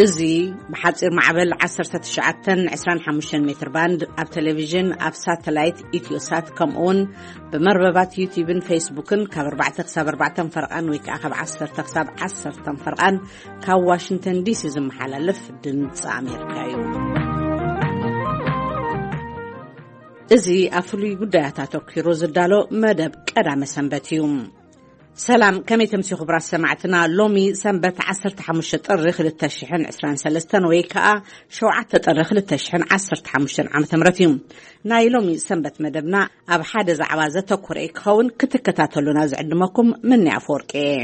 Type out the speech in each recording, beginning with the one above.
እዚ ብሓጺር ማዕበል ዓሰርተ ትሽዓተ ዕስራን ሓሙሽተን ሜትር ባንድ ኣብ ቴሌቪዥን፣ ኣብ ሳተላይት ኢትዮሳት፣ ከምኡውን ብመርበባት ዩቲዩብን ፌስቡክን ካብ ኣርባዕተ ክሳብ ኣርባዕተ ፈርቓን ወይ ከዓ ካብ ዓሰርተ ክሳብ ዓሰርተ ፈርቓን ካብ ዋሽንግተን ዲሲ ዝመሓላለፍ ድምፂ ኣሜሪካ እዩ። እዚ ኣብ ፍሉይ ጉዳያት ኣተኲሩ ዝዳሎ መደብ ቀዳመ ሰንበት እዩ። ሰላም፣ ከመይ ተምሲ ክቡራት ሰማዕትና? ሎሚ ሰንበት ዓሰርተ ሓሙሽተ ጥሪ ክልተ ሽሕን ዕስራን ሰለስተን ወይ ከኣ ሸውዓተ ጥሪ ክልተ ሽሕን ዓሰርተ ሓሙሽተን ዓመተ ምህረት እዩ። ናይ ሎሚ ሰንበት መደብና ኣብ ሓደ ዛዕባ ዘተኮረ ክኸውን ክትከታተሉና ዝዕድመኩም ምኒ ኣፈወርቂ እየ።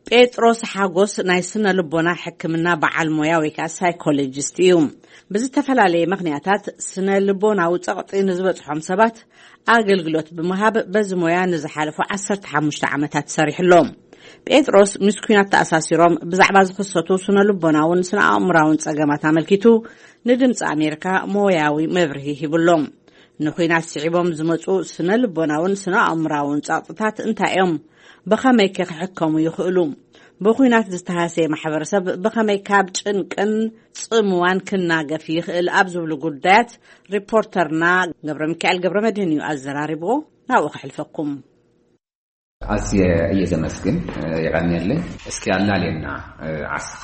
ጴጥሮስ ሓጎስ ናይ ስነ ልቦና ሕክምና በዓል ሞያ ወይ ከዓ ሳይኮሎጂስት እዩ። ብዝተፈላለየ ምኽንያታት ስነ ልቦናዊ ጸቕጢ ንዝበጽሖም ሰባት ኣገልግሎት ብምሃብ በዚ ሞያ ንዝሓለፉ ዓሰርተ ሓሙሽተ ዓመታት ሰሪሕሎም። ጴጥሮስ ምስ ኲናት ተኣሳሲሮም ብዛዕባ ዝኽሰቱ ስነ ልቦናውን ስነ ኣእምራውን ጸገማት ኣመልኪቱ ንድምፂ ኣሜሪካ ሞያዊ መብርሂ ሂብሎም። ንኹናት ስዒቦም ዝመፁ ስነ ልቦናውን ስነ ኣእምራውን ጸቕጥታት እንታይ እዮም? ብኸመይ ከ ክሕከሙ ይኽእሉ? ብኹናት ዝተሃሰየ ማሕበረሰብ ብኸመይ ካብ ጭንቅን ጽምዋን ክናገፍ ይኽእል? ኣብ ዝብሉ ጉዳያት ሪፖርተርና ገብረ ሚካኤል ገብረ መድህን እዩ ኣዘራሪብዎ። ናብኡ ከሕልፈኩም። ኣዝየ እየ ዘመስግን። የቐንየለይ። እስኪ ኣላልየና ዓስኻ።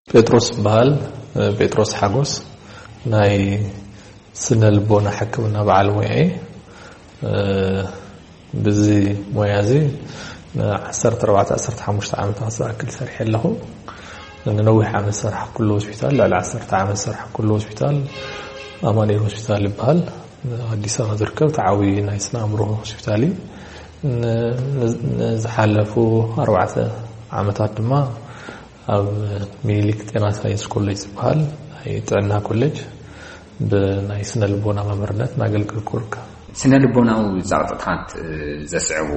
ጴጥሮስ ይበሃል። ጴጥሮስ ሓጎስ ናይ ስነ ልቦና ሕክምና በዓል ሞያ እየ። ብዚ ሞያ እዚ ን ዓሰርተ ኣርባዕተ ዓሰርተ ሓሙሽተ ዓመታት ዝኣክል ሰሪሐ ኣለኹ። ንነዊሕ ዓመት ዝሰራሕኩሉ ሆስፒታል፣ ልዕሊ ዓሰርተ ዓመት ዝሰራሕኩሉ ሆስፒታል ኣማኑኤል ሆስፒታል ይበሃል። ኣዲስ ኣበባ ዝርከብ ተዓዊ ናይ ስነ ኣእምሮ ሆስፒታል እዩ። ን-፣ ን-፣ ንዝሓለፉ ኣርባዕተ ዓመታት ድማ ኣብ ሚኒሊክ ጤና ሳይንስ ኮሌጅ ዝበሃል ናይ ጥዕና ኮሌጅ ብናይ ስነ ልቦና መምህርነት እናገልገልኩ እርከብ። ስነ ልቦናዊ ጸቕጥታት፣ እ፣ ዘስዕቡ፣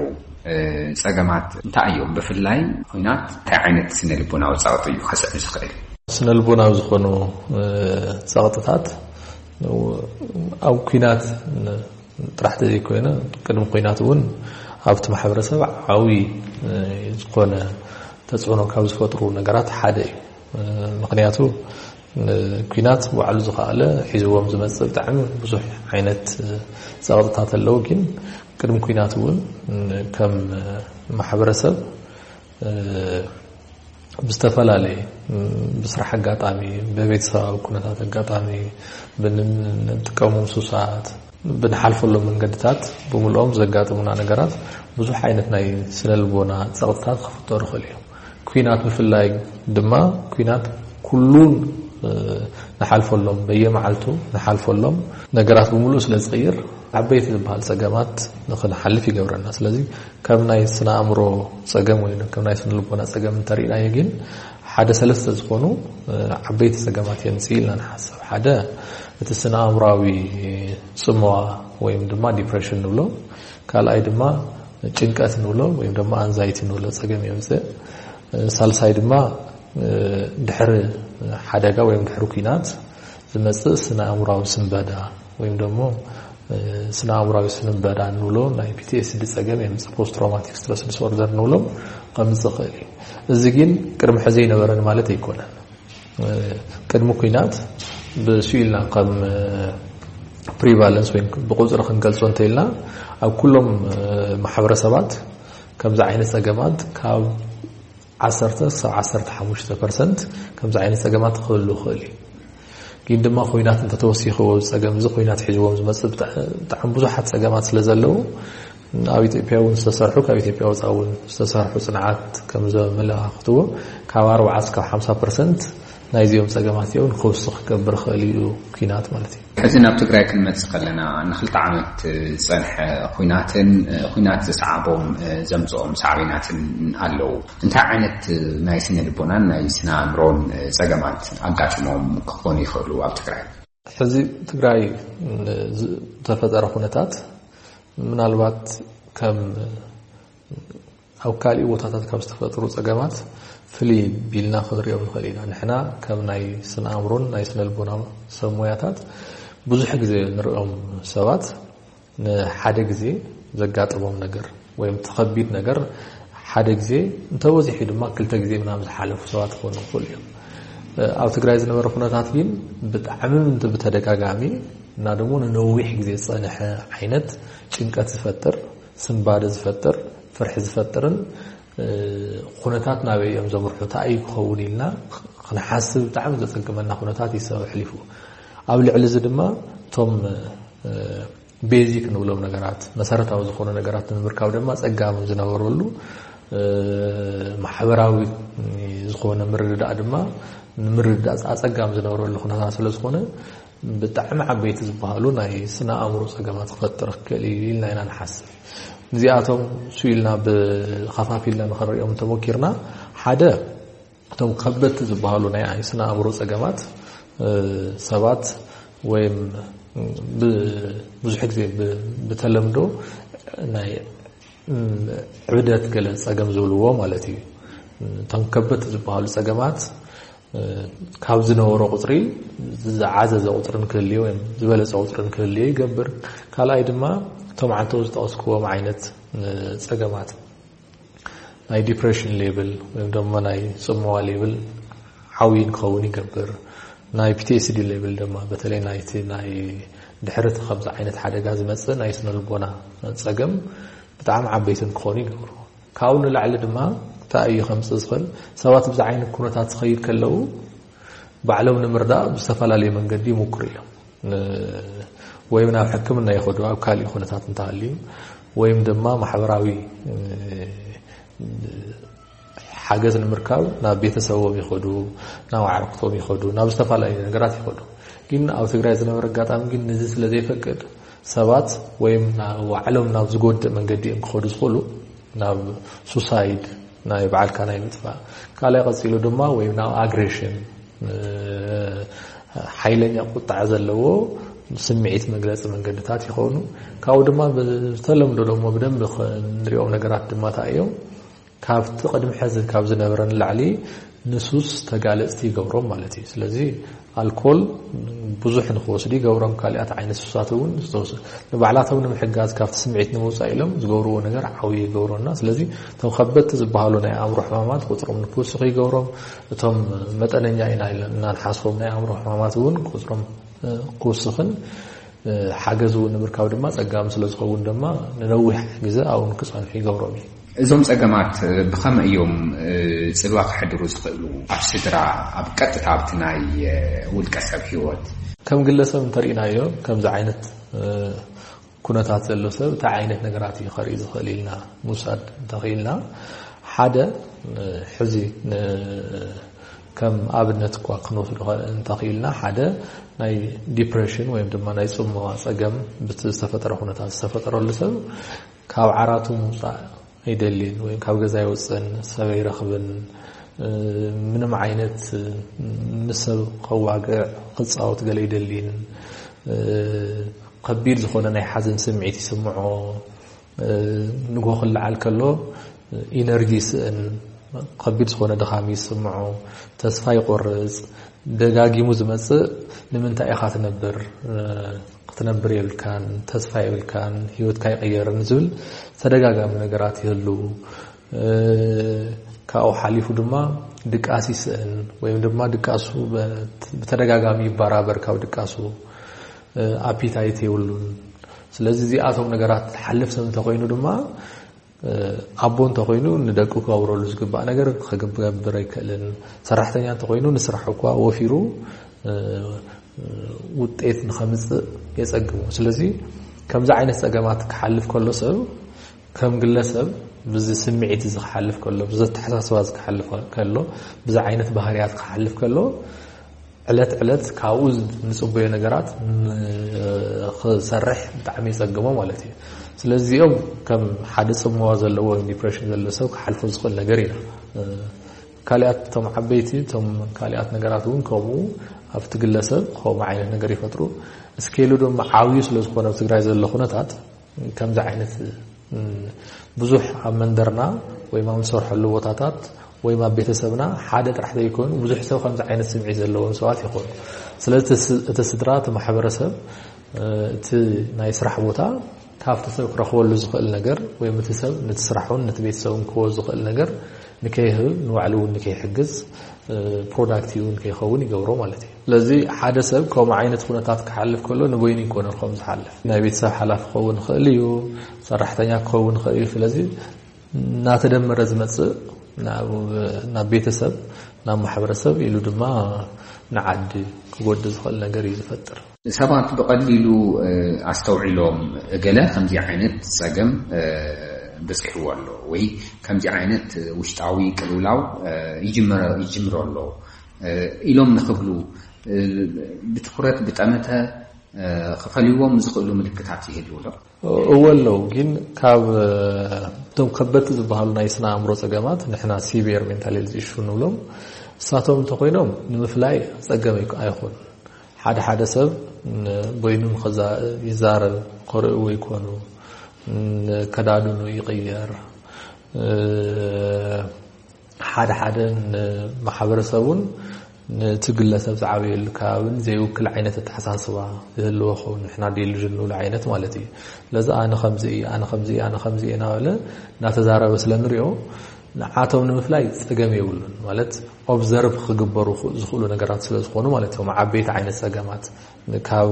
እ፣ ጸገማት እንታይ እዮም? ብፍላይ ኹናት እንታይ ዓይነት ስነ ልቦናዊ ጸቕጢ እዩ ከስዕብ ዝኽእል? ስነ ልቦናዊ ዝኾኑ፣ እ፣ ጸቕጥታት ኣብ ኲናት ን-፣ ጥራሕ ተዘይኮይነ ቅድሚ ኲናት እውን ኣብቲ ማሕበረሰብ ዓብዪ፣ እ፣ ዝኾነ ተጽዕኖ ካብ ዝፈጥሩ ነገራት ሓደ እዩ። እ፣ ምኽንያቱ፣ እ፣ ኲናት ባዕሉ ዝኸኣለ ሒዝዎም ዝመጽእ ብጣዕሚ ብዙሕ ዓይነት፣ እ፣ ጸቕጥታት ኣለዉ። ግን ቅድሚ ኲናት እውን፣ እ፣ ከም፣ እ፣ ማሕበረሰብ፣ እ፣ ብዝተፈላለየ፣ ም፣ ብስራሕ ኣጋጣሚ፣ ብቤተሰባዊ ኩነታት ኣጋጣሚ፣ ብን-፣ ንጥቀሞም ሱሳት፣ ብንሓልፈሎም መንገድታት ብምልኦም ዘጋጥሙና ነገራት ብዙሕ ዓይነት ናይ ስነ ልቦና ጸቕጥታት ክፍጠሩ ይኽእሉ እዮም። ኲናት ብፍላይ ድማ፣ ኲናት ኩሉን፣ እ፣ ንሓልፈሎም፣ በየመዓልቱ ንሓልፈሎም ነገራት ብምሉእ ስለ ዝቕይር፣ ዓበይቲ ዝበሃል ጸገማት ንኽንሓልፍ ይገብረና። ስለዚ ከም ናይ ስነ ኣእምሮ ጸገም ወይ ከም ናይ ስነ ልቦና ጸገም እንተሪእናዮ ግን፣ ሓደ ሰለስተ ዝኾኑ፣ እ፣ ዓበይቲ ጸገማት የምጽእ ኢልና ንሓስብ። ሓደ፣ እቲ ስነ ኣእምሮኣዊ ጽምዋ ወይም ድማ ዲፕሬሽን ንብሎ፣ ካልኣይ ድማ ጭንቀት ንብሎ ወይም ድማ ኣንዛይቲ ንብሎ ጸገም የምጽእ። እ፣ ሳልሳይ ድማ፣ እ፣ ድሕሪ ሓደጋ ወይም ድሕሪ ኲናት ዝመጽእ ስነ ኣእምሮኣዊ ስንበዳ ወይም ደግሞ፣ እ፣ ስነ ኣእምሮኣዊ ስንበዳ እንብሎ ናይ ፒ ቲ ኤስ ዲ ጸገም የምጽእ፣ ፖስት ትራውማቲክ ስትረስ ዲስኦርደር ንብሎ ከምጽእ ይኽእል እዩ። እዚ ግን ቅድሚ ሕዚ ኣይነበረን ማለት ኣይኮነን። እ፣ ቅድሚ ኲናት ብስኡ ኢልና ከም፣ እ፣ ፕሪቫለንስ ወይ ብቁጽሪ ክንገልጾ እንተኢልና፣ ኣብ ኩሎም፣ እ፣ ማሕበረሰባት ከምዚ ዓይነት ጸገማት ካብ ዓሰርተ ክሳብ ዓሰርተ ሓሙሽተ ፐርሰንት ከምዚ ዓይነት ጸገማት ክህሉ ይኽእል እዩ። ግን ድማ ኹናት እንተተወሲኽዎ፣ ጸገም እዚ ኹናት ሒዝዎም ዝመጽእ ብጣ-፣ ብጣዕሚ ብዙሓት ጸገማት ስለ ዘለዉ፣ ኣብ ኢትዮጵያ እውን ዝተሰርሑ፣ ካብ ኢትዮጵያ ወጻኢ እውን ዝተሰርሑ ጽንዓት ከም ዘመላኻኽትዎ፣ ካብ ኣርባዓ እስካብ ሓምሳ ፐርሰንት ናይዚኦም ጸገማት እዮም ክውስኽ ክገብር ይኽእል እዩ ኲናት ማለት እዩ። ሕዚ ናብ ትግራይ ክንመጽእ ከለና፣ ንኽልተ ዓመት ዝጸንሐ ኹናትን፣ እ፣ ኹናት ዘስዓቦም፣ እ፣ ዘምጽኦም ሳዕቤናትን ኣለዉ። እንታይ ዓይነት፣ እ፣ ናይ ስነ ልቦናን ናይ ስነ ኣእምሮን፣ እ፣ ጸገማት ኣጋጢሞም ክኾኑ ይኽእሉ ኣብ ትግራይ? ሕዚ ትግራይ፣ እ፣ ዝተፈጠረ ኩነታት ምናልባት ከም ኣብ ካሊእ ቦታታት ካብ ዝተፈጥሩ ጸገማት ፍልይ ቢልና ክንሪኦም ንኽእል ኢና። ንሕና ከም ናይ ስነ ኣእምሮን ናይ ስነ ልቦና ሰብ ሞያታት ብዙሕ ግዜ ንሪኦም ሰባት ንሓደ ግዜ ዘጋጥሞም ነገር፣ ወይም እቲ ከቢድ ነገር ሓደ ግዜ እንተበዚሑ ድማ ክልተ ግዜ ምናምን ዝሓለፉ ሰባት ክኾኑ ይኽእሉ እዮም። ኣብ ትግራይ ዝነበረ ኩነታት ግን ብጣዕሚ ምንት ብተደጋጋሚ እና ደግሞ ንነዊሕ ግዜ ዝፀንሐ ዓይነት ጭንቀት ዝፈጥር፣ ስንባደ ዝፈጥር፣ ፍርሒ ዝፈጥርን ኩነታት ናበይ እዮም ዘምርሑ፣ እንታይ እዩ ክኸውን ኢልና ክንሓስብ ብጣዕሚ ዘፀግመና ኩነታት እዩ ሰብ ኣሕሊፉ። ኣብ ልዕሊ እዚ ድማ እቶም ቤዚክ ንብሎም ነገራት፣ መሰረታዊ ዝኾኑ ነገራት ንምርካብ ድማ ጸጋም ዝነበረሉ፣ ማሕበራዊ ዝኾነ ምርድዳእ ድማ ንምርድዳእ ኣጸጋም ዝነበረሉ ኩነታት ስለ ዝኾነ፣ ብጣዕሚ ዓበይቲ ዝበሃሉ ናይ ስነ ኣእምሮ ጸገማት ክፈጥር ክኽእል እዩ ኢልና ኢና ንሓስብ። እዚኣቶም ስኢልና ብኸፋፊልና ንኽንሪኦም እንተሞኪርና፣ ሓደ እቶም ከበድቲ ዝበሃሉ ናይ ስነ ኣእምሮ ጸገማት ሰባት ወይም ብዙሕ ግዜ ብተለምዶ ናይ ዕብደት ገለ ጸገም ዝብልዎ ማለት እዩ። እቶም ከበድቲ ዝበሃሉ ጸገማት ካብ ዝነበሮ ቁፅሪ ዝዓዘዘ ቁፅሪ ንክህልዮ ወይም ዝበለፀ ቁፅሪ ንክህልዮ ይገብር። ካልኣይ ድማ እቶም ዓንተው ዝጠቐስክዎም ዓይነት ፀገማት ናይ ዲፕሬሽን ሌብል ወይም ደሞ ናይ ጽምዋ ሌብል ዓብዪ ንክኸውን ይገብር። ናይ ፒ ቲ ኤስ ዲ ሌብል ድማ በተለይ ናይቲ ናይ ድሕርቲ ከምዚ ዓይነት ሓደጋ ዝመጽእ ናይ ስነ ልቦና ጸገም ብጣዕሚ ዓበይቲ ንክኾኑ ይገብሩ። ካብኡ ንላዕሊ ድማ እንታይ እዩ ከምጽእ ዝኽእል? ሰባት ብዚ ዓይነት ኩነታት ዝኸይድ ከለዉ ባዕሎም ንምርዳእ ብዝተፈላለየ መንገዲ ይምኩሩ እዮም። ወይም ናብ ሕክምና ይኸዱ ኣብ ካልእ ኩነታት እንተሃልዩ፣ ወይም ድማ ማሕበራዊ ሓገዝ ንምርካብ ናብ ቤተሰቦም ይኸዱ፣ ናብ ኣዕርክቶም ይኸዱ፣ ናብ ዝተፈላለዩ ነገራት ይኸዱ። ግን ኣብ ትግራይ ዝነበረ ኣጋጣሚ ግን ነዚ ስለ ዘይፈቅድ ሰባት ወይም ባዕሎም ናብ ዝጎድእ መንገዲ እዮም ክኸዱ ዝኽእሉ፣ ናብ ሱሳይድ፣ ናይ ባዕልካ ናይ ምጥፋእ፣ ካልኣይ ቀጺሉ ድማ ወይም ናብ ኣግሬሽን፣ ሓይለኛ ቁጣዕ ዘለዎ ስምዒት መግለፂ መንገድታት ይኸውን። ካብኡ ድማ ብተለምዶ ደሞ ብደንብ ንሪኦም ነገራት ድማ እንታይ እዮም? ካብቲ ቅድሚ ሕዚ ካብ ዝነበረ ንላዕሊ ንሱስ ተጋለፅቲ ይገብሮም ማለት እዩ። ስለዚ ኣልኮል ብዙሕ ንክወስዱ ይገብሮም። ካልኣት ዓይነት ሱሳት እውን ንባዕላቶም ንምሕጋዝ ካብቲ ስምዒት ንምውፃእ ኢሎም ዝገብርዎ ነገር ዓብዪ ይገብሮና። ስለዚ እቶም ከበድቲ ዝበሃሉ ናይ ኣእምሮ ሕማማት ቁፅሮም ንክውስኽ ይገብሮም። እቶም መጠነኛ ኢና ኢልና ንሓስቦም ናይ ኣእምሮ ሕማማት እውን ቁፅሮም ክውስኽን ሓገዝ እውን ንምርካብ ድማ ጸጋም ስለ ዝኸውን ድማ ንነዊሕ ግዜ ኣብኡ ንክጸንሑ ይገብሮም እዩ። እዞም ጸገማት ብኸመይ እዮም ጽልዋ ከሕድሩ ዝኽእሉ? ኣብ ስድራ፣ ኣብ ቀጥታ ኣብቲ ናይ ውልቀ ሰብ ህይወት? ከም ግለሰብ እንተርኢናዮ ከምዚ ዓይነት ኩነታት ዘሎ ሰብ እንታይ ዓይነት ነገራት እዩ ከርኢ ዝኽእል ኢልና ምውሳድ እንተኽኢልና፣ ሓደ ሕዚ ከም ኣብነት እኳ ክንወስዶ እንተኽኢልና፣ ሓደ ናይ ዲፕሬሽን ወይም ድማ ናይ ጽምዋ ጸገም ብቲ ዝተፈጠረ ኩነታት ዝተፈጠረሉ ሰብ ካብ ዓራቱ ምውጻእ ኣይደልን ወይም ካብ ገዛ ኣይወጽእን፣ ሰብ ኣይረኽብን፣ ምንም ዓይነት ምስ ሰብ ከዋግዕ ክጻወት ገለ ኣይደልን፣ ከቢድ ዝኾነ ናይ ሓዘን ስምዒት ይስምዖ፣ ንጎ ክለዓል ከሎ ኢነርጂ ይስእን፣ ከቢድ ዝኾነ ድኻም ይስምዖ፣ ተስፋ ይቆርጽ፣ ደጋጊሙ ዝመጽእ ንምንታይ ኢኻ ትነብር? ክትነብር የብልካን፣ ተስፋ የብልካን፣ ህይወትካ ይቕየርን ዝብል ተደጋጋሚ ነገራት ይህሉ። ካብኡ ሓሊፉ ድማ ድቃስ ይስእን ወይም ድማ ድቃሱ ብተደጋጋሚ ይበራበር፣ ካብ ድቃሱ ኣፒታይት የብሉን። ስለዚ እዚኣቶም ነገራት ሓልፍ ሰብ እንተኮይኑ ድማ ኣቦ እንተኮይኑ ንደቁ ክገብረሉ ዝግባእ ነገር ክገብር ኣይክእልን። ሰራሕተኛ እንተኮይኑ ንስራሕ እኳ ወፊሩ ውጤት ንኸምፅእ የፀግሙ። ስለዚ ከምዚ ዓይነት ፀገማት ክሓልፍ ከሎ ሰብ ከም ግለሰብ ብዚ ስምዒት እዚ ክሓልፍ ከሎ፣ ብዚ ኣተሓሳስባ እዚ ክሓልፍ ከሎ፣ ብዚ ዓይነት ባህርያት ክሓልፍ ከሎ ዕለት ዕለት ካብኡ ንጽበዮ ነገራት ክሰርሕ ብጣዕሚ ይጸግሞ ማለት እዩ። ስለዚ እዚኦም ከም ሓደ ጽምዋ ዘለዎ ወይም ዲፕሬሽን ዘለዎ ሰብ ክሓልፎ ዝኽእል ነገር ኢና። ካልኣት እቶም ዓበይቲ እቶም ካልኣት ነገራት እውን ከምኡ ኣብቲ ግለሰብ ከምኡ ዓይነት ነገር ይፈጥሩ። እስኬሉ ድማ ዓብዩ ስለ ዝኾነ ኣብ ትግራይ ዘሎ ኩነታት ከምዚ ዓይነት ብዙሕ ኣብ መንደርና ወይም ኣብ ንሰርሐሉ ቦታታት ወይም ኣብ ቤተሰብና ሓደ ጥራሕ ዘይኮኑ ብዙሕ ሰብ ከምዚ ዓይነት ስምዒት ዘለዎም ሰባት ይኾኑ። ስለዚ እቲ ስድራ፣ እቲ ማሕበረሰብ፣ እቲ ናይ ስራሕ ቦታ ካብቲ ሰብ ክረኽበሉ ዝኽእል ነገር፣ ወይ እቲ ሰብ ነቲ ስራሑን ነቲ ቤተሰቡን ክህቦ ዝኽእል ነገር ንከይህብ፣ ንባዕሉ እውን ንከይሕግዝ፣ ፕሮዳክቲቭ እውን ከይኸውን ይገብሮ ማለት እዩ። ስለዚ ሓደ ሰብ ከምኡ ዓይነት ኩነታት ክሓልፍ ከሎ ንበይኑ ይኮነን ከም ዝሓልፍ። ናይ ቤተሰብ ሓላፊ ክኸውን ይኽእል እዩ፣ ሰራሕተኛ ክኸውን ይኽእል እዩ። ስለዚ እናተደመረ ዝመጽእ ናብ፣ ናብ ቤተሰብ፣ ናብ ማሕበረሰብ ኢሉ ድማ ንዓዲ ክጎድእ ዝኽእል ነገር እዩ ዝፈጥር። ሰባት ብቐሊሉ ኣስተውዒሎም ገለ ከምዚ ዓይነት ጸገም በጺሕዎ ኣሎ ወይ ከምዚ ዓይነት ውሽጣዊ ቅልውላው ይጅምሮ ኣሎ ኢሎም ንኽብሉ ብትኹረት ብጠመተ ክፈልይዎም ዝኽእሉ ምልክታት ይህልዉ ዶ? እወ ኣለዉ፣ ግን ካብ እቶም ከበድቲ ዝበሃሉ ናይ ስነ ኣእምሮ ጸገማት ንሕና ሲቪየር ሜንታል ሄልዝ ኢሹ ንብሎም፣ እሳቶም እንተኾይኖም ንምፍላይ ጸገም ኣይኮ-፣ ኣይኹን። ሓደ ሓደ ሰብ በይኑ ይዛረብ፣ ከርእይዎ ይኮኑ፣ ከዳድኑ ይቕየር። ሓደ ሓደ ንማሕበረሰቡን ነቲ ግለሰብ ዝዓበየሉ ከባብን ዘይውክል ዓይነት ኣተሓሳስባ ዝህልዎ ኸውን፣ ንሕና ዴሉዥን ንብሎ ዓይነት ማለት እዩ። ስለዚ ኣነ ከምዚ እየ፣ ኣነ ከምዚ እየ፣ ኣነ ከምዚ እየ እናበለ እናተዛረበ ስለ ንሪኦ፣ ንዓቶም ንምፍላይ ጸገም የብሉን። ማለት ኦብዘርቭ ክግበሩ ዝኽእሉ ነገራት ስለ ዝኾኑ ማለት እዮም። ዓበይቲ ዓይነት ጸገማት ካብ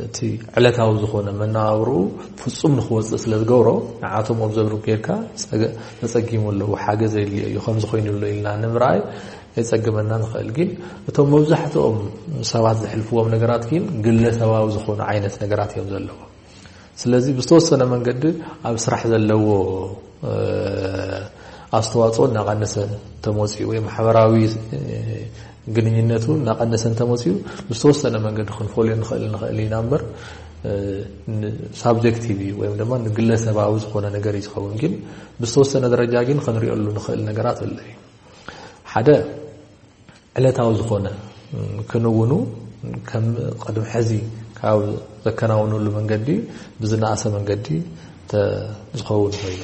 እቲ ዕለታዊ ዝኾነ መነባብርኡ ፍጹም ንኽወጽእ ስለ ዝገብሮ፣ ንዓቶም ኦብዘርቭ ጌርካ ጸገ-፣ ተጸጊሙ ኣለዉ፣ ሓገዝ የድልዮ እዩ፣ ከምዚ ኮይኑ ኣሎ ኢልና ንምርኣይ የጸግመና ንኽእል። ግን እቶም መብዛሕትኦም ሰባት ዘሕልፍዎም ነገራት ግን ግለሰባዊ ዝኾኑ ዓይነት ነገራት እዮም ዘለዎም። ስለዚ ብዝተወሰነ መንገዲ ኣብ ስራሕ ዘለዎ ኣስተዋጽኦ እናቐነሰ እንተመፅኡ ወይ ማሕበራዊ ግንኙነቱ እናቐነሰ እንተመፅኡ ብዝተወሰነ መንገዲ ክንፈልዮ ንኽእል ንኽእል ኢና እምበር፣ ሳብጀክቲቭ እዩ ወይም ድማ ንግለሰባዊ ዝኾነ ነገር እዩ ዝኸውን። ግን ብዝተወሰነ ደረጃ ግን ክንሪኦሉ ንኽእል ነገራት ኣሎ እዩ። ሓደ ዕለታዊ ዝኾነ ክንውኑ ከም ቅድሚ ሕዚ ካብ ዘከናውኑሉ መንገዲ ብዝነኣሰ መንገዲ ዝኸውን ኮይኑ፣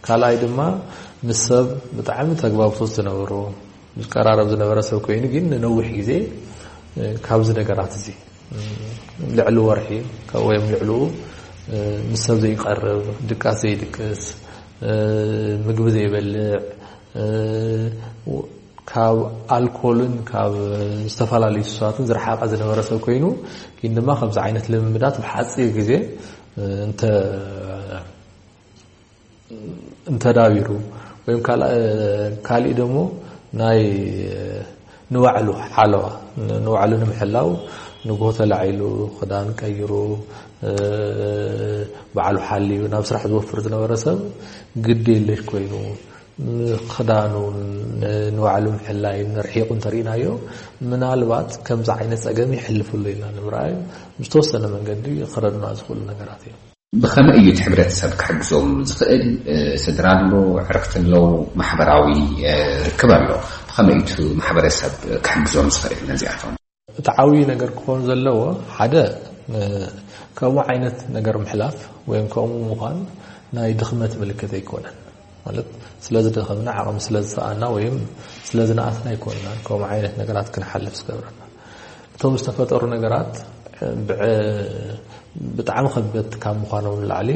ካልኣይ ድማ ምስ ሰብ ብጣዕሚ ተግባብቶት ዝነበሮ ዝቀራረብ ዝነበረ ሰብ ኮይኑ ግን ንነዊሕ ግዜ ካብዚ ነገራት እዚ ልዕሊ ወርሒ ወይም ልዕልኡ ምስ ሰብ ዘይቀርብ፣ ድቃስ ዘይድቅስ፣ ምግቢ ዘይበልዕ፣ ካብ ኣልኮልን ካብ ዝተፈላለዩ ሱሳትን ዝረሓቐ ዝነበረ ሰብ ኮይኑ ግን ድማ ከምዚ ዓይነት ልምምዳት ብሓፂር ግዜ እንተ እንተዳቢሩ ወይም ካልእ ደሞ ናይ ንባዕሉ ሓለዋ ንባዕሉ ንምሕላው ንጎ ተላዒሉ ክዳን ቀይሩ ባዕሉ ሓልዩ ናብ ስራሕ ዝወፍር ዝነበረ ሰብ ግዲ የለሽ ኮይኑ ክዳኑን ንባዕሉ ምሕላይን ርሒቑ እንተርኢናዮ ምናልባት ከምዚ ዓይነት ጸገም ይሕልፍሉ ኢልና ንምርኣይ ዝተወሰነ መንገዲ ክረድና ዝኽእሉ ነገራት እዮም። ብኸመይ እዩ እቲ ሕብረተሰብ ክሕግዞም ዝኽእል? ስድራ ኣሎ፣ ዕርክቲ ኣለዉ፣ ማሕበራዊ ርክብ ኣሎ። ብኸመይ እዩ እቲ ማሕበረሰብ ክሕግዞም ዝኽእል ነዚኣቶም? እቲ ዓብዪ ነገር ክኾን ዘለዎ ሓደ ከምኡ ዓይነት ነገር ምሕላፍ ወይም ከምኡ ምዃን ናይ ድኽመት ምልክት ኣይኮነን። ማለት ስለ ዝደኸምና ዓቕሚ ስለ ዝሰኣና ወይም ስለ ዝነኣስና ኣይኮንናን ከምኡ ዓይነት ነገራት ክንሓልፍ ዝገብረና። እቶም ዝተፈጠሩ ነገራት ብጣዕሚ ከበድቲ ካብ ምዃኖም ንላዕሊ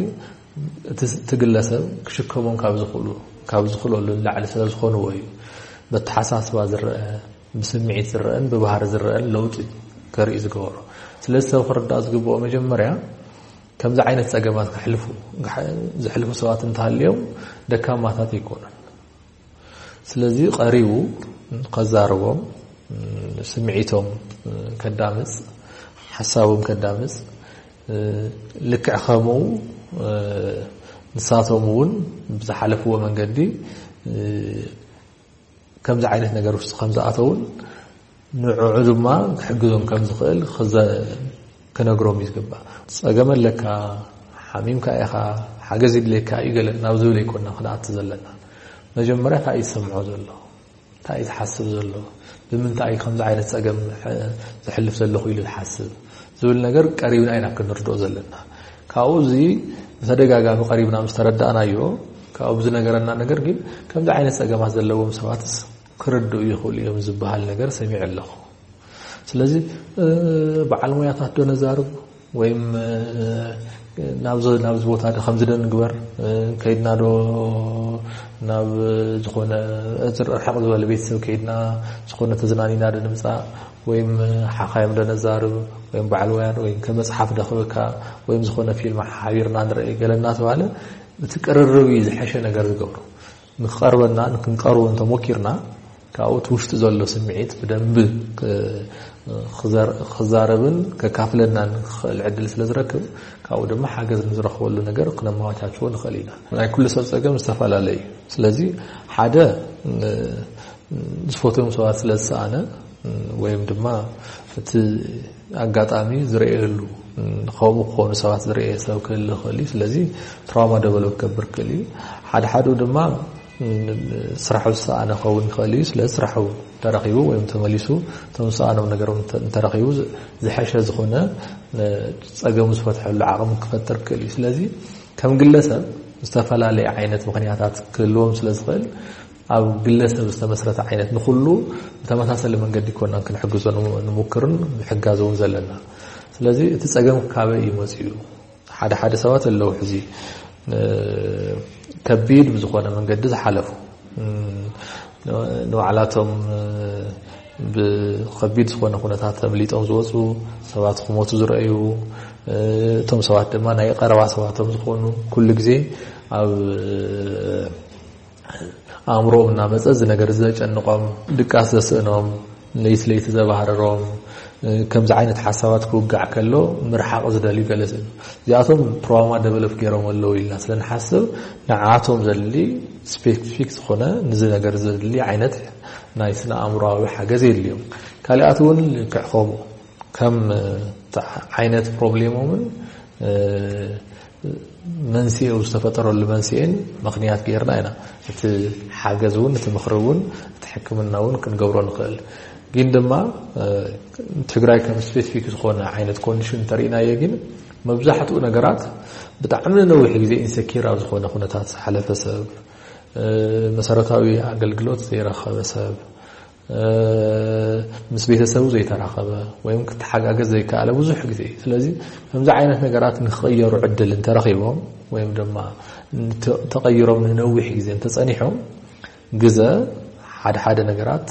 እቲ ግለሰብ ክሽከሞም ካብ ዝኽእሉ ካብ ዝኽእለሉ ንላዕሊ ስለ ዝኾንዎ እዩ። በተሓሳስባ ዝረአ፣ ብስምዒት ዝረአን ብባህሪ ዝረአን ለውጢ ከርኢ ዝገበሮ። ስለዚ ሰብ ክርዳእ ዝግብኦ መጀመርያ ከምዚ ዓይነት ጸገማት ክሕልፉ ዝሕልፉ ሰባት እንተሃልዮም ደካማታት ኣይኮኑን። ስለዚ ቀሪቡ ከዛርቦም፣ ስምዒቶም ከዳምጽ፣ ሓሳቦም ከዳምጽ፣ ልክዕ ከምኡ ንሳቶም እውን ብዝሓለፍዎ መንገዲ ከምዚ ዓይነት ነገር ውስጥ ከም ዝኣተውን ንዕዑ ድማ ክሕግዞም ከም ዝኽእል ክነግሮም እዩ ዝግባእ። ጸገም ኣለካ፣ ሓሚምካ ኢኻ፣ ሓገዝ ይድልየካ እዩ ገለ ናብ ዝብል ኣይኮና ክንኣቱ ዘለና። መጀመርያ እንታይ እዩ ዝሰምዖ ዘሎ፣ እንታይ እዩ ዝሓስብ ዘሎ፣ ብምንታይ እዩ ከምዚ ዓይነት ጸገም ዘሕልፍ ዘለኹ ኢሉ ዝሓስብ ዝብል ነገር ቀሪብና ኢና ክንርድኦ ዘለና። ካብኡ እዚ ብተደጋጋሚ ቀሪብና ምስ ተረዳእናዮ ካብኡ ብዝነገረና ነገር ግን ከምዚ ዓይነት ጸገማት ዘለዎም ሰባትስ ክርድኡ ይኽእሉ እዮም ዝበሃል ነገር ሰሚዐ ኣለኹ። ስለዚ በዓል ሞያታት ዶ ነዛርብ ወይም ናብዚ ናብዚ ቦታ ዶ ከምዚ ዶ ንግበር፣ ከይድና ዶ ናብ ዝኾነ ርሕቕ ዝበለ ቤተሰብ ከይድና ዝኾነ ተዝናኒና ዶ ንምፃእ፣ ወይም ሓኻዮም ዶ ነዛርብ፣ ወይም በዓል ወያን ወይም ከመፅሓፍ ዶ ክበካ፣ ወይም ዝኾነ ፊልም ሓቢርና ንርኢ ገለ እናተባለ፣ እቲ ቅርርብ እዩ ዝሐሸ ነገር ዝገብሩ። ንክቐርበና ንክንቀርቦ እንተሞኪርና፣ ካብኡ እቲ ውሽጢ ዘሎ ስምዒት ብደንብ ክዛረብን ከካፍለናን ክኽእል ዕድል ስለ ዝረክብ፣ ካብኡ ድማ ሓገዝ ንዝረኽበሉ ነገር ክነመቻችዎ ንኽእል ኢና። ናይ ኩሉ ሰብ ፀገም ዝተፈላለየ እዩ። ስለዚ ሓደ ዝፈትዮም ሰባት ስለ ዝሰኣነ፣ ወይም ድማ እቲ ኣጋጣሚ ዝረእየሉ፣ ከምኡ ክኾኑ ሰባት ዝረእየ ሰብ ክህል ይኽእል እዩ። ስለዚ ትራውማ ደቨሎፕ ክገብር ክእል እዩ። ሓደ ሓደ ድማ ስራሑ ዝሰኣነ ክኸውን ይኽእል እዩ። ስለዚ ስራሑ ተረኺቡ ወይም ተመሊሱ እቶም ዝሰኣኖም ነገሮም እንተ- እንተረኺቡ ዝ- ዝሐሸ ዝኾነ፣ ጸገሙ ዝፈትሐሉ ዓቕሚ ክፈጥር ክእል እዩ። ስለዚ ከም ግለሰብ ዝተፈላለየ ዓይነት ምኽንያታት ክህልዎም ስለ ዝኽእል፣ ኣብ ግለሰብ ዝተመስረተ ዓይነት ንኹሉ ብተመሳሰለ መንገዲ ኮና ክንሕግዞ ንሙ- ንሙክርን ምሕጋዝ እውን ዘለና። ስለዚ እቲ ጸገም ካበይ እዩ መጺኡ? ሓደ ሓደ ሰባት ኣለዉ ሕዚ ከቢድ ብዝኾነ መንገዲ ዝሓለፉ፣ ንባዕላቶም ብኸቢድ ዝኾነ ኩነታት ተምሊጦም ዝወፁ ሰባት ክሞቱ ዝረእዩ፣ እቶም ሰባት ድማ ናይ ቀረባ ሰባቶም ዝኾኑ፣ ኩሉ ግዜ ኣብ ኣእምሮኦም እናመፀ እዚ ነገር ዘጨንቆም፣ ድቃስ ዘስእኖም፣ ለይቲ ለይቲ ዘባህርሮም፣ ከምዚ ዓይነት ሓሳባት ክውጋዕ ከሎ ምርሓቕ ዝደልዩ ገለ ስእኑ። እዚኣቶም ትራውማ ደቨሎፕ ገይሮም ኣለዉ ኢልና ስለ ንሓስብ፣ ንዓቶም ዘድሊ ስፔሲፊክ ዝኾነ ንዚ ነገር ዘድሊ ዓይነት ናይ ስነ ኣእምሮኣዊ ሓገዝ የድልዮም። ካሊኣት እውን ልክዕ ከምኡ ከም ዓይነት ፕሮብሌሞምን መንስኤኡ ዝተፈጠረሉ መንስኤን ምኽንያት ገይርና ኢና እቲ ሓገዝ እውን፣ እቲ ምኽሪ እውን፣ እቲ ሕክምና እውን ክንገብሮ ንኽእል። ግን ድማ ትግራይ ከም ስፔሲፊክ ዝኾነ ዓይነት ኮንዲሽን እንተሪእናዮ ግን መብዛሕትኡ ነገራት ብጣዕሚ ነዊሕ ግዜ ኢንሰኪር ኣብ ዝኾነ ኩነታት ዝሓለፈ ሰብ፣ መሰረታዊ ኣገልግሎት ዘይረኸበ ሰብ፣ ምስ ቤተሰቡ ዘይተራኸበ ወይም ክተሓጋገዝ ዘይከኣለ ብዙሕ ግዜ። ስለዚ ከምዚ ዓይነት ነገራት ንክቕየሩ ዕድል እንተረኺቦም ወይም ድማ ተቐይሮም ንነዊሕ ግዜ እንተጸኒሖም፣ ግዘ ሓደ ሓደ ነገራት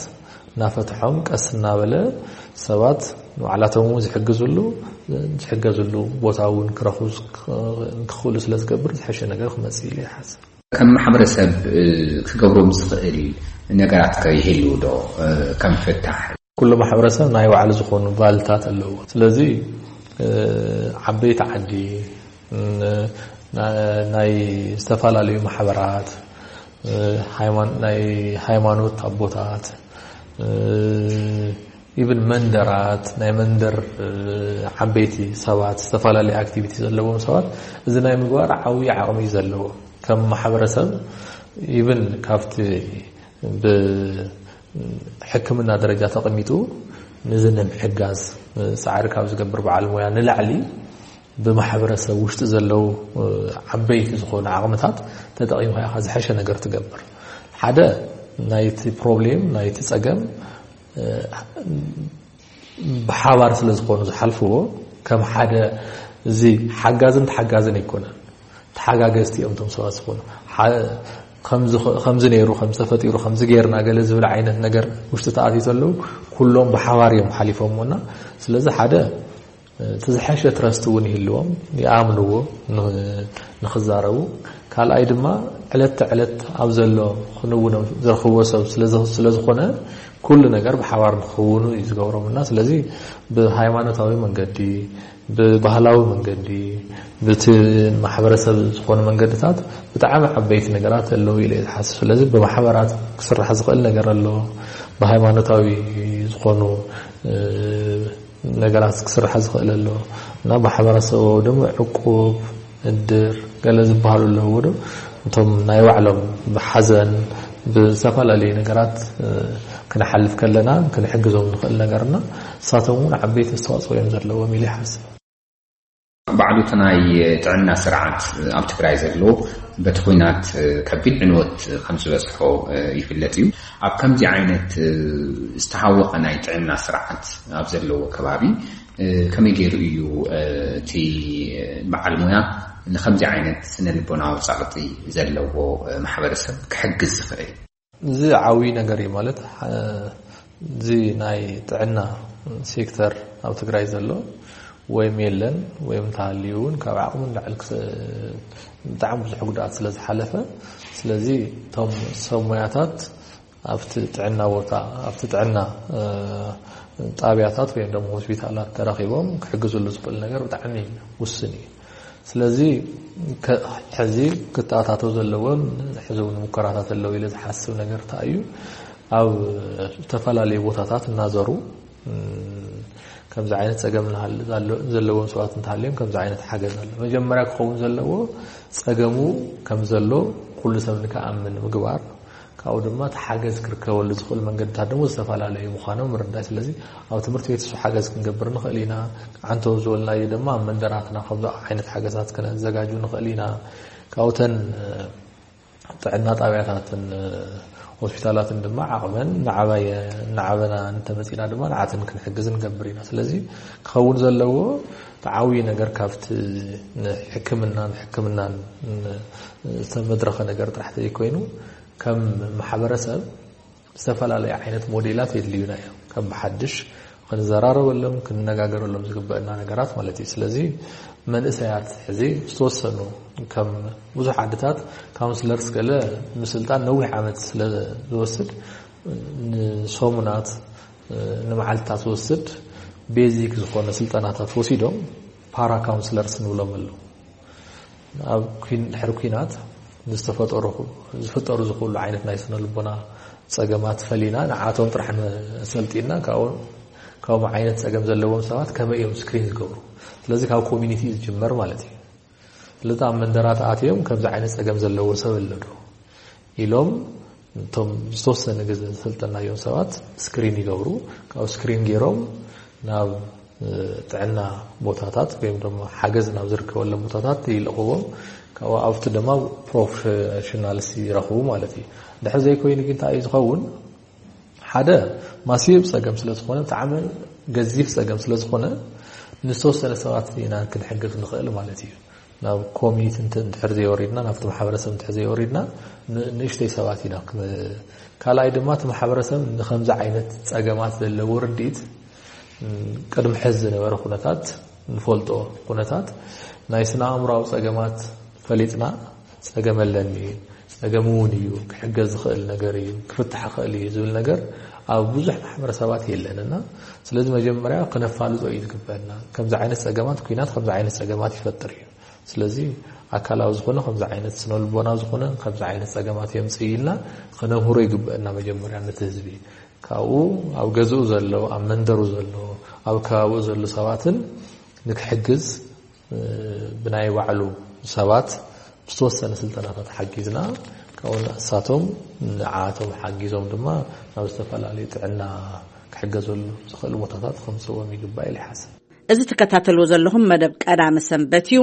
እናፈትሖም ቀስ እናበለ ሰባት ንባዕላቶም እውን ዝሕግዝሉ ዝሕገዝሉ ቦታ እውን ክረኽቡ ክኽእሉ ስለ ዝገብር ዝሐሸ ነገር ክመጽእ ኢለ ይሓስብ። ከም ማሕበረሰብ ክገብሮም ዝኽእል ነገራት ከ ይህልው ዶ? ከም ፍታሕ ኩሉ ማሕበረሰብ ናይ ባዕሉ ዝኾኑ ባህልታት ኣለዎ። ስለዚ ዓበይቲ ዓዲ፣ ናይ ዝተፈላለዩ ማሕበራት፣ ናይ ሃይማኖት ኣቦታት፣ ኢብን መንደራት፣ ናይ መንደር ዓበይቲ ሰባት፣ ዝተፈላለዩ ኣክቲቪቲ ዘለዎም ሰባት እዚ ናይ ምግባር ዓብዪ ዓቕሚ እዩ ዘለዎ። ከም ማሕበረሰብ ኢብን ካብቲ ብሕክምና ደረጃ ተቐሚጡ ንዚ ንምሕጋዝ ፃዕሪ ካብ ዝገብር በዓል ሞያ ንላዕሊ ብማሕበረሰብ ውሽጢ ዘለዉ ዓበይቲ ዝኾኑ ዓቕምታት ተጠቒምካ ኢኻ ዝሐሸ ነገር ትገብር። ሓደ ናይቲ ፕሮብሌም ናይቲ ጸገም ብሓባር ስለ ዝኾኑ ዝሓልፍዎ ከም ሓደ እዚ ሓጋዝን ተሓጋዝን ኣይኮነን። ተሓጋገዝቲ እዮም እቶም ሰባት ዝኾኑ። ከምዚ ነይሩ፣ ከምዚ ተፈጢሩ፣ ከምዚ ገይርና ገለ ዝብል ዓይነት ነገር ውሽጢ ተኣትዩ ዘለዉ ኩሎም ብሓባር እዮም ሓሊፎምና። ስለዚ ሓደ እቲ ዝሐሸ ትረስት እውን ይህልዎም፣ ይኣምንዎ ንኽዛረቡ። ካልኣይ ድማ ዕለት ተዕለት ኣብ ዘሎ ክንውኖም ዝረኽብዎ ሰብ ስለ ዝኾነ ኩሉ ነገር ብሓባር ንክኽውኑ እዩ ዝገብሮም እና ስለዚ ብሃይማኖታዊ መንገዲ፣ ብባህላዊ መንገዲ፣ ብቲ ማሕበረሰብ ዝኾኑ መንገድታት ብጣዕሚ ዓበይቲ ነገራት ኣለዉ ኢለ እየ ዝሓስብ። ስለዚ ብማሕበራት ክስራሕ ዝኽእል ነገር ኣሎ፣ ብሃይማኖታዊ ዝኾኑ ነገራት ክስራሕ ዝኽእል ኣሎ እና ማሕበረሰባዊ ድማ ዕቁብ፣ እድር ገለ ዝበሃሉ ኣለዎ ዶ እቶም ናይ ባዕሎም ብሓዘን ብዝተፈላለዩ ነገራት ክንሓልፍ ከለና ክንሕግዞም ንኽእል ነገርና እሳቶም እውን ዓበይቲ ኣስተዋፅኦ እዮም ዘለዎም ኢለ ይሓስብ። ባዕሉ እቲ ናይ ጥዕና ስርዓት ኣብ ትግራይ ዘሎ በቲ ኩናት ከቢድ ዕንወት ከም ዝበፅሖ ይፍለጥ እዩ። ኣብ ከምዚ ዓይነት ዝተሃወቐ ናይ ጥዕና ስርዓት ኣብ ዘለዎ ከባቢ ከመይ ገይሩ እዩ እቲ በዓል ሞያ ንከምዚ ዓይነት ስነ ልቦናዊ ጸቕጢ ዘለዎ ማሕበረሰብ ክሕግዝ ዝኽእል? እዚ ዓብዪ ነገር እዩ። ማለት እዚ ናይ ጥዕና ሴክተር ኣብ ትግራይ ዘሎ ወይም የለን ወይም እንተሃልዩ እውን ካብ ዓቕሙ ንላዕሊ ብጣዕሚ ብዙሕ ጉድኣት ስለ ዝሓለፈ፣ ስለዚ እቶም ሰብ ሞያታት ኣብቲ ጥዕና ቦታ ኣብቲ ጥዕና ጣብያታት ወይም ደሞ ሆስፒታላት ተረኺቦም ክሕግዝሉ ዝኽእል ነገር ብጣዕሚ ውስን እዩ። ስለዚ ሕዚ ክተኣታተው ዘለዎም ሕዚ እውን ሙከራታት ኣለዉ ኢለ ዝሓስብ ነገር እንታይ እዩ? ኣብ ዝተፈላለዩ ቦታታት እናዘሩ ከምዚ ዓይነት ፀገም ዘለዎም ሰባት እንተሃልዮም ከምዚ ዓይነት ሓገዝ ኣሎ። መጀመርያ ክኸውን ዘለዎ ፀገሙ ከም ዘሎ ኩሉ ሰብ ንክኣምን ምግባር፣ ካብኡ ድማ እቲ ሓገዝ ክርከበሉ ዝኽእል መንገድታት ድማ ዝተፈላለዩ ምዃኖም ምርዳእ። ስለዚ ኣብ ትምህርቲ ቤት እሱ ሓገዝ ክንገብር ንኽእል ኢና። ዓንተው ዝበልናዮ ድማ ኣብ መንደራትና ከምዚ ዓይነት ሓገዛት ክነዘጋጁ ንኽእል ኢና። ካብኡተን ጥዕና ጣብያታትን ሆስፒታላትን ድማ ዓቕመን እናዓበና እንተመፂና ድማ ንዓትን ክንሕግዝ ንገብር ኢና። ስለዚ ክኸውን ዘለዎ ተዓብዩ ነገር ካብቲ ንሕክምናን ሕክምናን ዝተመድረኸ ነገር ጥራሕ ዘይኮይኑ ከም ማሕበረሰብ ዝተፈላለዩ ዓይነት ሞዴላት የድልዩና እዮም። ከም ብሓድሽ ክንዘራረበሎም ክንነጋገረሎም ዝግበአና ነገራት ማለት እዩ። ስለዚ መንእሰያት ሕዚ ዝተወሰኑ ከም ብዙሕ ዓድታት ካውንስለርስ ገለ ምስልጣን ነዊሕ ዓመት ስለ ዝወስድ ንሰሙናት ንመዓልትታት ዝወስድ ቤዚክ ዝኾነ ስልጠናታት ወሲዶም ፓራ ካውንስለርስ ንብሎም ኣለዉ። ኣብ ድሕሪ ኲናት ዝተፈጠሩ ዝፍጠሩ ዝኽእሉ ዓይነት ናይ ስነ ልቦና ፀገማት ፈሊና ንዓቶም ጥራሕ ሰልጢና ካብኦም ዓይነት ፀገም ዘለዎም ሰባት ከመይ እዮም ስክሪን ዝገብሩ? ስለዚ ካብ ኮሚኒቲ እዩ ዝጅመር ማለት እዩ። ስለዚ ኣብ መንደራት ኣትዮም ከምዚ ዓይነት ፀገም ዘለዎ ሰብ ኣሎ ዶ ኢሎም እቶም ዝተወሰነ ግዜ ዝሰልጠናዮም ሰባት ስክሪን ይገብሩ። ካብ ስክሪን ገይሮም ናብ ጥዕና ቦታታት ወይም ደሞ ሓገዝ ናብ ዝርከበሎም ቦታታት ይልእኽዎም። ካብኡ ኣብቲ ድማ ፕሮፌሽናልስ ይረኽቡ ማለት እዩ። ድሕር ዘይኮይኑ ግን እንታይ እዩ ዝኸውን? ሓደ ማሲብ ፀገም ስለ ዝኾነ ብጣዕሚ ገዚፍ ፀገም ስለ ዝኾነ ንዝተወሰነ ሰባት ኢና ክንሕግዝ ንኽእል ማለት እዩ። ናብ ኮሚኒቲ እንድሕር ዘይወሪድና ናብቲ ማሕበረሰብ እንድሕር ዘይወሪድና ንእሽተይ ሰባት ኢና። ካልኣይ ድማ እቲ ማሕበረሰብ ንከምዚ ዓይነት ፀገማት ዘለዎ ርድኢት ቅድሚ ሕዚ ዝነበረ ኩነታት ንፈልጦ ኩነታት ናይ ስነ ኣእምሮዊ ፀገማት ፈሊጥና ፀገም ኣለኒ፣ ፀገም እውን እዩ፣ ክሕገዝ ዝኽእል ነገር እዩ፣ ክፍታሕ ይኽእል እዩ ዝብል ነገር ኣብ ብዙሕ ማሕበረሰባት የለን እና ስለዚ መጀመርያ ክነፋልጦ እዩ ዝግበአና። ከምዚ ዓይነት ፀገማት ኲናት ከምዚ ዓይነት ፀገማት ይፈጥር እዩ። ስለዚ ኣካላዊ ዝኾነ ከምዚ ዓይነት ስነ ልቦና ዝኾነ ከምዚ ዓይነት ፀገማት የምፅእ ኢልና ክነምህሮ ይግበአና መጀመርያ ነቲ ህዝቢ። ካብኡ ኣብ ገዝኡ ዘሎ ኣብ መንደሩ ዘሎ ኣብ ከባቢኡ ዘሎ ሰባትን ንክሕግዝ ብናይ ባዕሉ ሰባት ዝተወሰነ ስልጠናታት ሓጊዝና ካብኡ ንሳቶም ንዓቶም ሓጊዞም ድማ ናብ ዝተፈላለዩ ጥዕና ክሕገዘሉ ዝኽእል ቦታታት ከምፅዎም ይግባእ ኢለ ይሓስብ። እዚ ትከታተልዎ ዘለኹም መደብ ቀዳመ ሰንበት እዩ።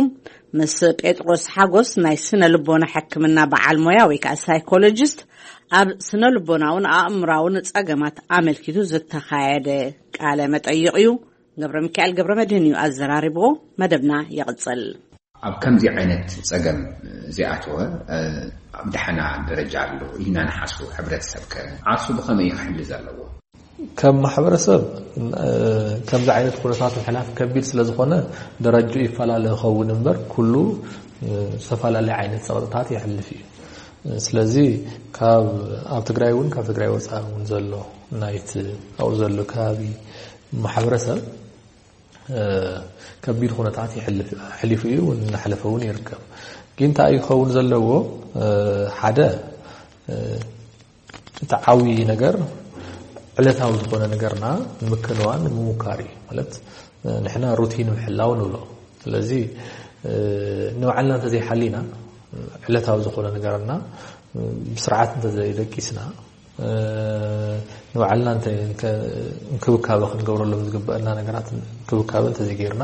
ምስ ጴጥሮስ ሓጎስ ናይ ስነ ልቦና ሕክምና በዓል ሞያ ወይ ከዓ ሳይኮሎጂስት ኣብ ስነ ልቦናውን ኣእምራውን ጸገማት ኣመልኪቱ ዝተኻየደ ቃለ መጠይቕ እዩ። ገብረ ሚካኤል ገብረ መድህን እዩ ኣዘራሪብዎ። መደብና ይቕጽል። ኣብ ከምዚ ዓይነት ጸገም ዝኣተወ ኣብ ደሓና ደረጃ ኣሎ ኢልና ንሓስቡ ሕብረተሰብ ከ ዓርሱ ብኸመይ እዩ ክሕሊ ዘለዎ? ከም ማሕበረሰብ ከምዚ ዓይነት ኩነታት ምሕላፍ ከቢድ ስለ ዝኾነ ደረጅኡ ይፈላለ ይኸውን እምበር ኩሉ ዝተፈላለየ ዓይነት ጸቕጥታት የሕልፍ እዩ። ስለዚ ካብ ኣብ ትግራይ እውን ካብ ትግራይ ወፃኢ እውን ዘሎ ናይቲ ኣብኡ ዘሎ ከባቢ ማሕበረሰብ ከቢድ ኩነታት ይሕልፍ ሕሊፉ እዩ እናሕለፈ እውን ይርከብ። ግን እንታይ ክኸውን ዘለዎ ሓደ እቲ ዓብዪ ነገር ዕለታዊ ዝኾነ ነገርና ንምክንዋን ንምሙካር እዩ። ማለት ንሕና ሩቲን ምሕላው ንብሎ። ስለዚ ንባዕልና እንተዘይሓሊና ዕለታዊ ዝኾነ ነገርና ብስርዓት እንተዘይደቂስና ንባዕልና እንክብካበ ክንገብረሎም ዝግበአና ነገራት እንክብካበ እንተዘይገይርና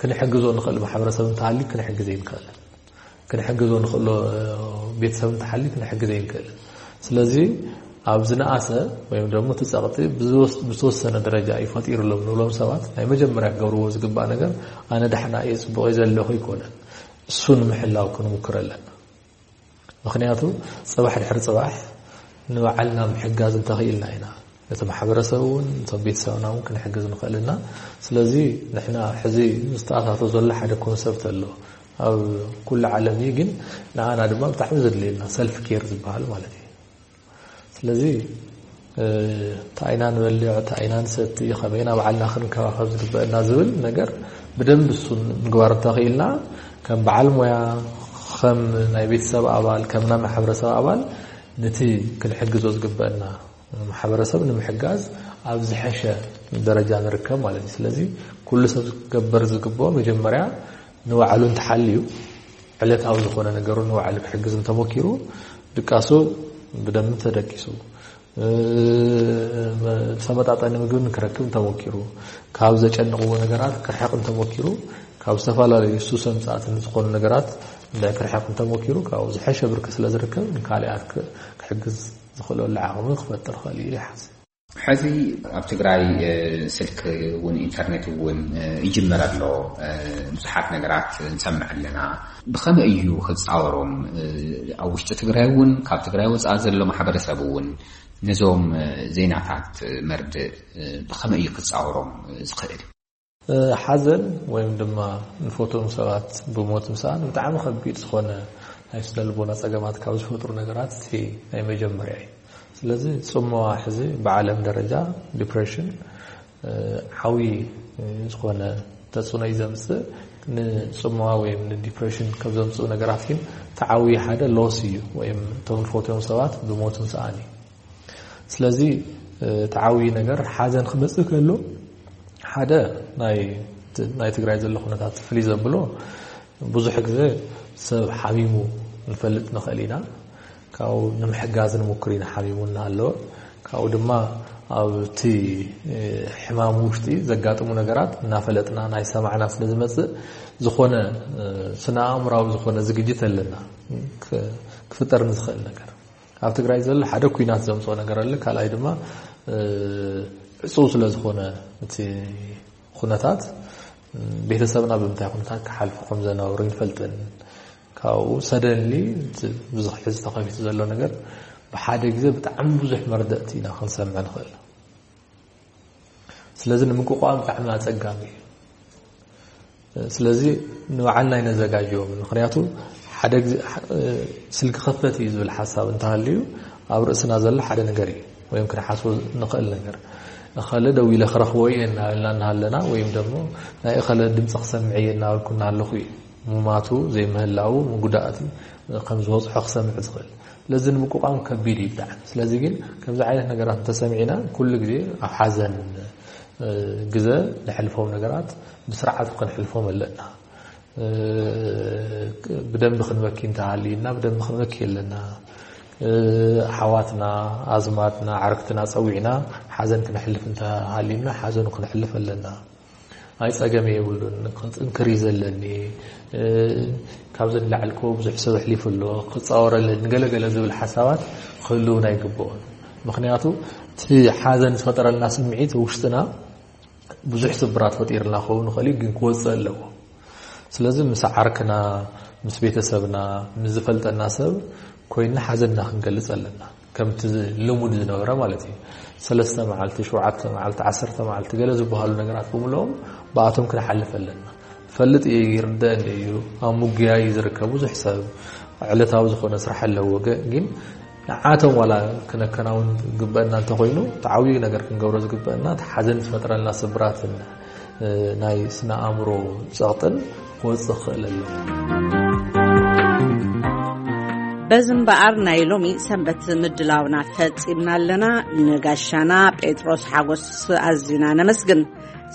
ክንሕግዞ ንኽእል ማሕበረሰብ እንተሃልዩ ክንሕግዘ ይንክእል። ክንሕግዞ ንኽእሎ ቤተሰብ እንተሓልዩ ክንሕግዘ ይንክእል። ስለዚ ኣብ ዝነኣሰ ወይም ደግሞ እቲ ጸቕጢ ብዝወስ- ብዝተወሰነ ደረጃ እዩ ፈጢሩሎም ንብሎም ሰባት፣ ናይ መጀመርያ ክገብርዎ ዝግባእ ነገር፣ ኣነ ዳሕና እየ፣ ጽቡቕ እየ ዘለኹ ኣይኮነን። እሱ ንምሕላው ክንምክር ኣለና። ምኽንያቱ፣ ጽባሕ ድሕሪ ጽባሕ ንባዕልና ምሕጋዝ እንተኽኢልና ኢና ነቲ ማሕበረሰብ እውን፣ ነቶም ቤተሰብና እውን ክንሕግዝ ንኽእል ኢና። ስለዚ ንሕና ሕዚ ዝተኣታቶ ዘሎ ሓደ ኮንሰፕት ኣሎ ኣብ ኩሉ ዓለም እዩ፣ ግን ንዓና ድማ ብጣዕሚ ዘድልየና ሰልፍ ኬር ዝበሃል ማለት እዩ። ስለዚ እንታይ ኢና ንበልዕ፣ እንታይ ኢና ንሰቲ፣ ከመይ ኢና ባዕልና ክንከባኸብ ዝግበአና ዝብል ነገር ብደንብ እሱ ምግባር እንተኽኢልና፣ ከም በዓል ሞያ፣ ከም ናይ ቤተሰብ ኣባል፣ ከም ናይ ማሕበረሰብ ኣባል፣ ነቲ ክንሕግዞ ዝግበአና ማሕበረሰብ ንምሕጋዝ ኣብ ዝሐሸ ደረጃ ንርከብ ማለት እዩ። ስለዚ ኩሉ ሰብ ክገበር ዝግብኦ፣ መጀመርያ ንባዕሉ እንተሓልዩ፣ ዕለታዊ ዝኾነ ነገሩ ንባዕሉ ክሕግዝ እንተሞኪሩ፣ ድቃሱ ብደንብ ተደቂሱ፣ እ፣ ዝተመጣጠነ ምግቢ ክረክብ እንተሞኪሩ፣ ካብ ዘጨንቕዎ ነገራት ክርሕቕ እንተሞኪሩ፣ ካብ ዝተፈላለዩ ሱሰ ምጻእትን ዝኾኑ ነገራት እንድሕር ክርሕቕ እንተሞኪሩ፣ ካብኡ ዝሐሸ ብርኪ ስለ ዝርከብ፣ ንካልኣት ክ- ክሕግዝ ዝኽእለሉ ዓቕሚ ክፈጥር ይኽእል እዩ ይሓስብ። ሕዚ ኣብ ትግራይ ስልክ እውን ኢንተርኔት እውን ይጅመር ኣሎ። ብዙሓት ነገራት ንሰምዕ ኣለና። ብኸመይ እዩ ክፃወሮም? ኣብ ውሽጢ ትግራይ እውን ካብ ትግራይ ወፃኢ ዘሎ ማሕበረሰብ እውን ነዞም ዜናታት መርድእ ብኸመይ እዩ ክፃወሮም ዝኽእል? ሓዘን ወይም ድማ ንፈትዎም ሰባት ብሞት ምስኣን ብጣዕሚ ከቢድ ዝኾነ ናይ ስነ ልቦና ፀገማት ካብ ዝፈጥሩ ነገራት እቲ ናይ መጀመርያ እዩ። ስለዚ ፅምዋ ሕዚ ብዓለም ደረጃ ዲፕሬሽን ዓብዪ ዝኾነ ተፅዕኖ እዩ ዘምፅእ። ንፅምዋ ወይም ንዲፕሬሽን ካብ ዘምፅኡ ነገራት ግን እቲ ዓብዪ ሓደ ሎስ እዩ፣ ወይም እቶም ንፈትዎም ሰባት ብሞት ምስኣን እዩ። ስለዚ እቲ ዓብዪ ነገር ሓዘን ክመፅእ ከሎ ሓደ ናይ ናይ ትግራይ ዘሎ ኩነታት ፍልይ ዘብሎ ብዙሕ ግዜ ሰብ ሓሚሙ ንፈልጥ ንኽእል ኢና። ካብኡ ንምሕጋዝ ንምክር ኢና ሓሚሙ እናሃለወ። ካብኡ ድማ ኣብቲ ሕማም ውሽጢ ዘጋጥሙ ነገራት እናፈለጥና ናይ ሰማዕና ስለ ዝመፅእ ዝኾነ ስነ ኣእምራዊ ዝኾነ ዝግጅት ኣለና ክፍጠር ንዝኽእል ነገር። ኣብ ትግራይ ዘሎ ሓደ ኩናት ዘምፅኦ ነገር ኣሎ፣ ካልኣይ ድማ ዕፁው ስለ ዝኾነ እቲ ኩነታት ቤተሰብና ብምንታይ ኩነታት ክሓልፉ ከም ዘነበሩ ይንፈልጥን። ካብኡ ሰደንሊ ብዙሕ ሕዚ ተኸፊቱ ዘሎ ነገር ብሓደ ግዜ ብጣዕሚ ብዙሕ መርደእቲ ኢና ክንሰምዕ ንኽእል። ስለዚ ንምቁቋም ብጣዕሚ ኣፀጋሚ እዩ። ስለዚ ንባዕልና ኣይነዘጋጅዎም። ምክንያቱ ሓደ ግዜ ስልኪ ከፈት እዩ ዝብል ሓሳብ እንተሃልዩ ኣብ ርእስና ዘሎ ሓደ ነገር እዩ፣ ወይም ክንሓስቦ ንኽእል ነገር። እኸለ ደው ኢለ ክረኽቦ እየ እናበልና እናሃለና፣ ወይም ደግሞ ናይ እኸለ ድምፂ ክሰምዕ እየ እናበልኩ እናሃለኹ እዩ ምማቱ ዘይምህላው ምጉዳእቲ ከም ዝበፅሖ ክሰምዕ ዝኽእል። ስለዚ ንምቁቋም ከቢድ እዩ ብጣዕሚ። ስለዚ ግን ከምዚ ዓይነት ነገራት እንተሰሚዕና ኩሉ ግዜ ኣብ ሓዘን ግዘ ንሕልፎም ነገራት ብስርዓቱ ክንሕልፎም ኣለና። ብደንቢ ክንበኪ እንተሃልዩና ብደንቢ ክንበኪ ኣለና። ኣሕዋትና፣ ኣዝማድና፣ ዓርክትና ፀዊዕና ሓዘን ክነሕልፍ እንተሃልዩና ሓዘኑ ክነሕልፍ ኣለና። ኣይ ፀገም የብሉን፣ ክንፅንክር እዩ ዘለኒ፣ ካብዚ ንላዕሊ እኮ ብዙሕ ሰብ ኣሕሊፉ ኣሎ፣ ክፃወረለኒ ገለገለ ዝብል ሓሳባት ክህልውና ኣይግብኦን። ምክንያቱ እቲ ሓዘን ዝፈጠረልና ስምዒት ውሽጥና ብዙሕ ስብራት ፈጢርና ክኸውን ይኽእል እዩ፣ ግን ክወፅእ ኣለዎ። ስለዚ ምስ ዓርክና፣ ምስ ቤተሰብና፣ ምስ ዝፈልጠና ሰብ ኮይንና ሓዘንና ክንገልፅ ኣለና። ከምቲ ልሙድ ዝነበረ ማለት እዩ። ሰለስተ መዓልቲ፣ ሸውዓተ መዓልቲ፣ ዓሰርተ መዓልቲ ገለ ዝበሃሉ ነገራት ብምልኦም ብኣቶም ክንሓልፍ ኣለና። ፈልጥ እየ፣ ይርደአኒ እዩ፣ ኣብ ምጉያይ እዩ ዝርከብ ብዙሕ ሰብ፣ ዕለታዊ ዝኾነ ስራሕ ኣለዎ። ገ- ግን ንዓቶም ዋላ ክነከናውን ዝግበአና እንተኾይኑ፣ እቲ ዓብዪ ነገር ክንገብሮ ዝግበአና እቲ ሓዘን ዝፈጥረልና ስብራትን ናይ ስነ ኣእምሮ ጸቕጥን ክወጽእ ክኽእል ኣለዎ። በዚ እምበኣር ናይ ሎሚ ሰንበት ምድላውና ፈጺምና ኣለና። ንጋሻና ጴጥሮስ ሓጎስ ኣዚና ነመስግን።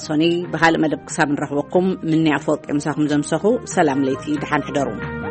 ሶኒ ብኻልእ መደብ ክሳብ ንረኽበኩም፣ ምንያ ኣፈወርቂ ምሳኹም ዘምሰኹ። ሰላም ለይቲ፣ ደሓን ሕደሩ።